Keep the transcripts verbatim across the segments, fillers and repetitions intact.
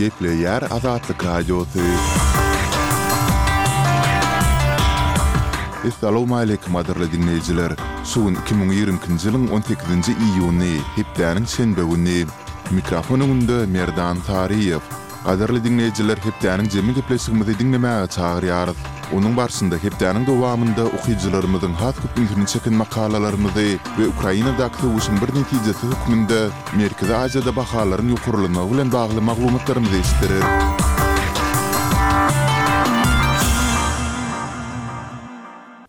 Gepleýär Azatlyk Radiosy. Essalawmaleýkim gadyrly diňleýjiler! Şu gün iki müň ýigrimi ikinji ýylyň on sekizinji iýuny, hepdäniň şenbe güni. Mikrofon öňünde Merdan Saryýew. Gadyrly diňleýjiler hepdäniň jemi gepleşigimizi diňlemäge çagyrýarys. Onuň barşynda hepdäniň dowamynda okyjylarymyzyň has köp ünsüni çeken makalalarymyzy we Ukrainadaky söweşiň bir netijesi hökmünde Merkezi Aziýada bahalaryň ýokarlanmagy bilen bagly maglumatlarymyzy eşitdireris.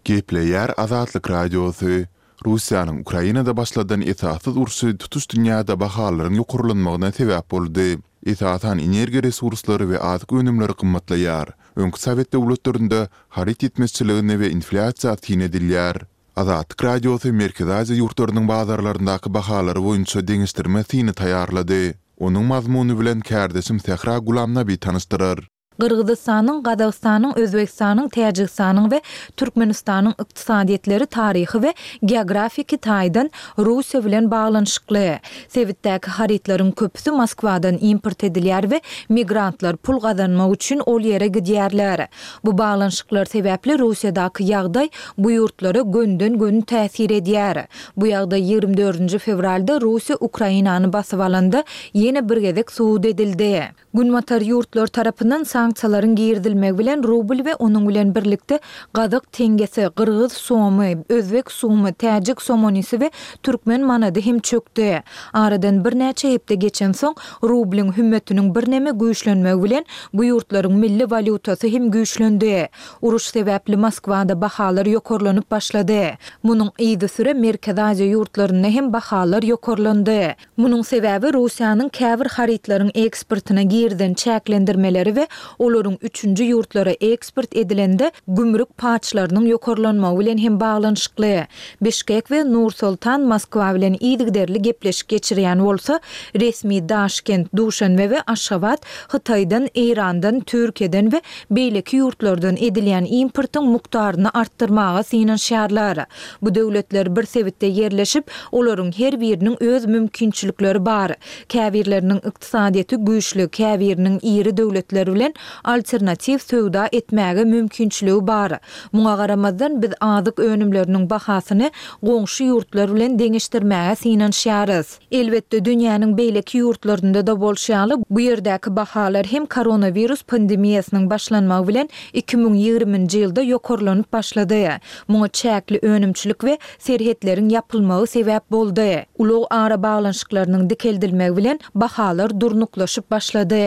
Gepleýär Azatlyk Radiosy, Russiýanyň Ukrainada başladan esassyz urşy tutuş dünýäde bahalaryň ýokarlanmagyna sebäp boldy. Esasan energiýa resurslary we azyk önümleri gymmatlaýar. Öňki sowet döwletlerinde haryt ýetmezçiligine we inflýasiýa syn edilýär. Azatlyk Radiosy Merkezi Aziýa ýurtlarynyň bazarlaryndaky bahalary boýunça deňeşdirme syny taýýarlady. Onuň mazmuny bilen kärdeşim Sähra Gulamnabi tanyşdyrar. Gyrgyzystanyň, Gazagystanyň, Özbegistanyň, Täjigistanyň we Türkmenistanyň ykdysadyýetleri taryhy we geografiki taýdan Russiýa bilen baglanyşykly. Sebitdäki harytlaryň köpüsi Moskwadan import edilýär we migrantlar pul gazanmak üçin ol ýere gidýärler. Bu baglanyşyklar sebäpli Russiýadaky ýagdaý bu ýurtlara gönden-göni täsir edýär. Bu ýagdaý ýigrimi dördünji fewralda Russiýa Ukrainany basyp alanda ýene bir gezek subut edildi. Günbatar ýurtlar tarapyndan sanksiýalaryň girizilmegi bilen rubl we onuň bilen birlikde gazak teňňesi, gyrgyz somy, özbek sumy, täjik somonisi we türkmen manady hem çökdi. Aradan birnäçe hepde geçensoň, rublyň hümmetiniň birneme güýçlenmegi bilen bu ýurtlaryň milli walýutasy hem güýçlendi. Uruş sebäpli Moskwada bahalar ýokarlanyp başlady. Munuň yzysüre Merkezi Aziýa ýurtlarynda hem bahalar ýokarlandy. Munuň sebäbi Russiýanyň käbir harytlaryň eksportyna girizen çäklendirmeleri we olaryň üçünji ýurtlara eksport edilende gümrük paçlarynyň ýokarlanmagy bilen hem baglanyşykly. Bişkek we Nur-Sultan Moskwa bilen yzygiderli gepleşik geçirýän bolsa, resmi Daşkent, Duşanbe we Aşgabat Hytaýdan, Eýrandan, Türkiýeden we beýleki ýurtlardan edilýän importyň mukdaryny artdyrmaga synanyşýarlar. Bu döwletler bir sebitde ýerleşip, olaryň her biriniň öz mümkinçilikleri bar. Käbirleriniň ykdysadyýeti güýçli, käbiriniň iri döwletler bilen alternatiw söwda etmäge mümkinçiligi bar. Muňa garamazdan, biz azyk önümleriniň bahasyny goňşy ýurtlar bilen deňeşdirmäge synanyşýarys. Elbetde, dünýäniň beýleki ýurtlarynda-da bolşy ýaly, bu ýerdäki bahalar hem koronawirus pandemiýasynyň başlanmagy bilen iki müň ýigriminji ýylda ýokarlanyp başlady. Muňa çäkli önümçilik we serhetleriň ýapylmagy sebäp boldy. Ulag arabaglanyşyklarynyň dikeldilmegi bilen bahalar durnuklaşyp başlady.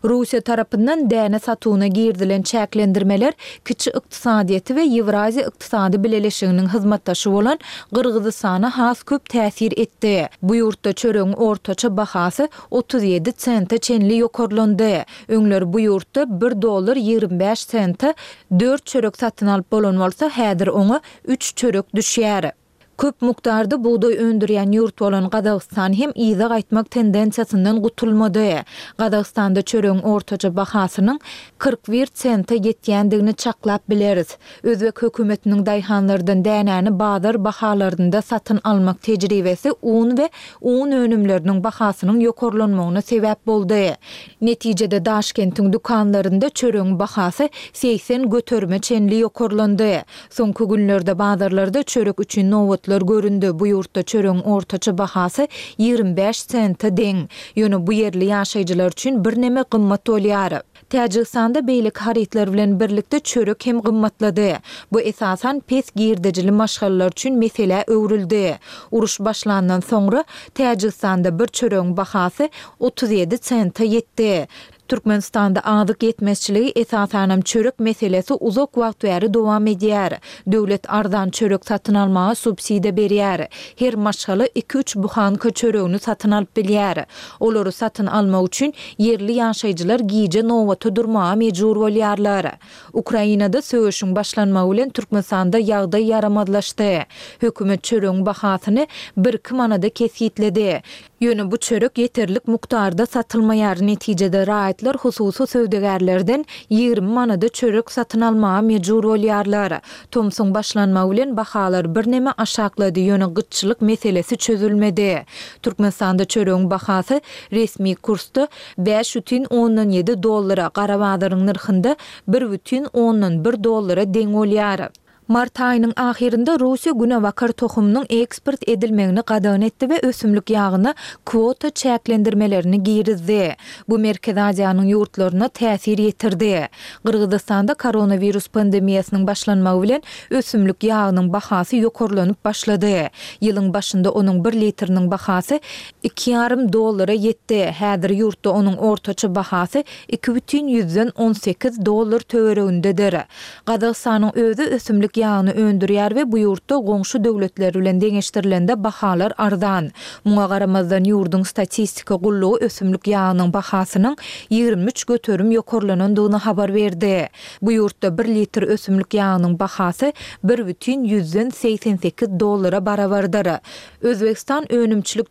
Russiýa tarapyndan däne satuwyna girizilen çäklendirmeler kiçi ykdysadyýeti we Ýewraziýa ykdysady bileleşiginiň hyzmatdaşy bolan Gyrgyzystana has köp täsir etdi. Bu ýurtda çöregiň ortaça bahasy otuz ýedi sente çenli ýokarlandy. Öňler bu ýurtda bir dollar ýigrimi bäş sente dört çörek satyn alyp bolan bolsa, häzir oňa üç çörek düşýär. Köp mukdarda bugdaý öndürýän ýurt bolan Gazagystan hem yza gaýtmak tendensiýasyndan gutulmady. Gazagystanda çöregiň ortaça bahasynyň kyrk bir sente ýetýändigini çaklap bileris. Özbek hökümetiniň daýhanlardan dänäni bazar bahalarynda satyn almak tejribesi un we un önümleriniň bahasynyň ýokarlanmagyna sebäp boldy. Netijede Daşkentiň dükanlarynda çöregiň bahasy segsen göterime çenli ýokarlandy. Soňky günlerde bazarlarda çörek üçin nobatlar göründi, bu ýurtda çöregiň ortaça bahasy ýigrimi bäş sente deň. Ýöne bu ýerli ýaşaýjylar üçin birneme gymmat bolýar. Täjigistanda beýleki harytlar bilen birlikde çörek hem gymmatlady. Bu esasan pes girdejili maşgalalar üçin meselä öwrüldi. Uruş başlandan soňra Täjigistanda bir çöregiň bahasy otuz ýedi sente ýetdi. Türkmenistanda azyk ýetmezçiligi, esasanam çörek meselesi uzak wagt bäri dowam edýär. Döwlet arzan çörek satyn almaga subsidiýa berýär. Her maşgala iki-üç buhanka çöregini satyn alyp bilýär. Olary satyn almak üçin ýerli ýaşaýjylar gije nobata durmaga mejbur bolýarlar. Ukrainada söweşiň başlanmagy bilen Türkmenistanda ýagdaý ýaramazlaşdy. Hökümet çöregiň bahasyny bir-iki manada kesgitledi. Ýöne bu çörek ýeterlik mukdarda satylmaýar, netijede raýatlar hususy söwdagärlerden ýigrimi manada çörek satyn almaga mejbur bolýarlar. Tomsuň başlanmagy bilen bahalar birneme aşaklady, ýöne gytçylyk meselesi çözülmedi. Türkmenistanda çöregiň bahasy resmi kursda bäş bütin ondan ýedi dollara, gara bazaryň nyrhynda bir bütin ondan bir dollara deň bolýar. Mart aýynyň ahyrynda Russiýa günebakar tohumynyň eksport edilmegini gadagan etdi we ösümlik ýagyna kwota çäklendirmelerini girizdi. Bu Merkezi Aziýanyň ýurtlaryna täsir ýetirdi. Gyrgyzystanda koronawirus pandemiýasynyň başlanmagy bilen ösümlik ýagynyň bahasy ýokarlanyp başlady. Ýylyň başynda onuň bir litriniň bahasy iki ýarym dollara ýetdi. Häzir ýurtda onuň ortaça bahasy iki bütin ýüzden on sekiz dollar töweregindedir. Gazagystanyň özi ösümlik ýagyny öndürýär we bu ýurtda goňşy döwletler bilen deňeşdirilende bahalar arzan. Muňa garamazdan ýurduň statistika gullugy ösümlik ýagynyň bahasynyň ýigrimi üç göterim ýokarlanandygyny habar berdi. Bu ýurtda bir litr ösümlik ýagynyň bahasy bir bütin ýüzden segsen sekiz dollara barabardyr. Özbegistan önümçilik